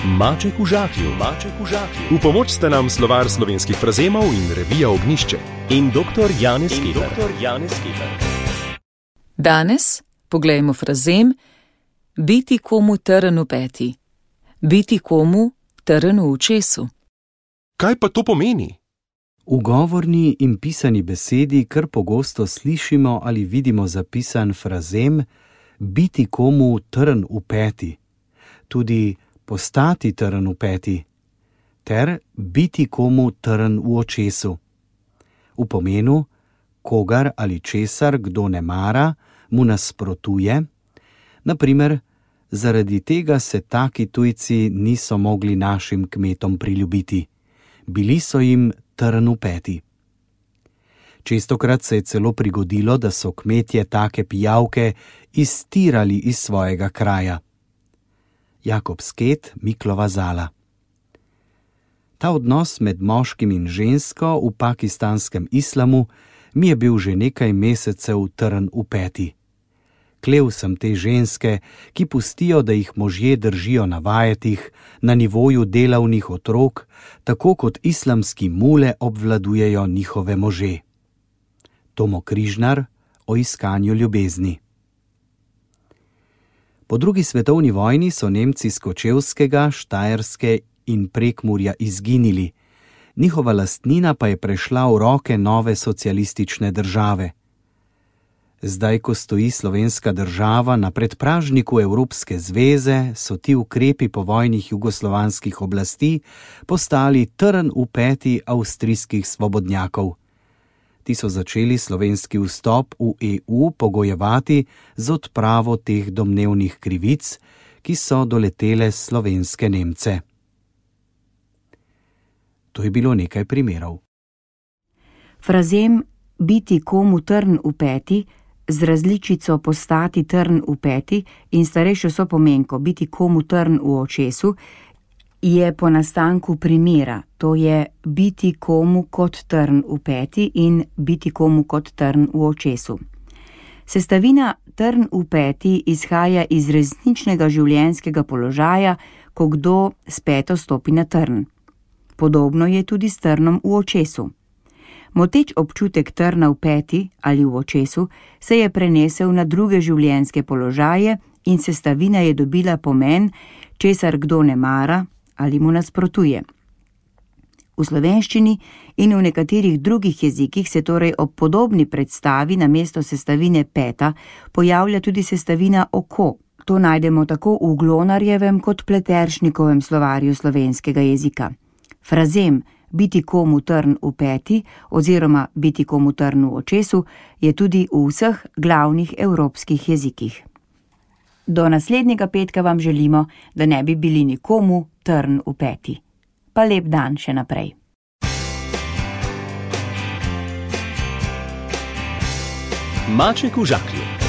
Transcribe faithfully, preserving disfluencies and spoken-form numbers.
Maček v žaklju, maček v žaklju. V pomoč sta nam slovar slovenskih frazemov in revija Ognjišče. In doktor Janez Keber. Danes poglejmo frazem biti komu trn v peti. Biti komu trn v očesu. Kaj pa to pomeni? V govorni in pisani besedi kar pogosto slišimo ali vidimo zapisan frazem biti komu trn v peti, tudi postati trn v peti, ter biti komu trn v očesu. V pomenu, kogar ali česar kdo ne mara, mu nasprotuje, na primer, zaradi tega se taki tujci niso mogli našim kmetom priljubiti. Bili so jim trn v peti. Čestokrat se je celo prigodilo, da so kmetje take pijavke iztirali iz svojega kraja. Jakob Sket, Miklova Zala. Ta odnos med moškim in žensko v pakistanskem islamu mi je bil že nekaj mesecev trn v peti. Klev sem te ženske, ki pustijo, da jih možje držijo na vajetih, na nivoju delavnih otrok, tako kot islamski mule obvladujejo njihove može. Tomo Križnar o iskanju ljubezni. Po drugi svetovni vojni so Nemci s Kočevskega, Štajerske in Prekmurja izginili, njihova lastnina pa je prešla v roke nove socialistične države. Zdaj, ko stoji slovenska država na predpražniku Evropske zveze, so ti ukrepi povojnih jugoslovanskih oblasti postali trn v peti avstrijskih svobodnjakov. Ti so začeli slovenski vstop v E U pogojevati z odpravo teh domnevnih krivic, ki so doletele slovenske Nemce. To je bilo nekaj primerov. Frazem biti komu trn v peti z različico postati trn v peti in starejšo sopomenko biti komu trn v očesu je po nastanku primera, to je biti komu kot trn v peti in biti komu kot trn v očesu. Sestavina trn v peti izhaja iz resničnega življenjskega položaja, ko kdo s peto stopi na trn. Podobno je tudi s trnom v očesu. Moteč občutek trna v peti ali v očesu se je prenesel na druge življenjske položaje in sestavina je dobila pomen, česar kdo ne mara ali mu nasprotuje. V slovenščini in v nekaterih drugih jezikih se torej ob podobni predstavi namesto sestavine peta pojavlja tudi sestavina oko. To najdemo tako v Glonarjevem kot Pleteršnikovem slovarju slovenskega jezika. Frazem biti komu trn v peti oziroma biti komu trn v očesu je tudi v vseh glavnih evropskih jezikih. Do naslednjega petka vam želimo, da ne bi bili nikomu trn v peti. Pa lep dan še naprej. Maček v žaklju.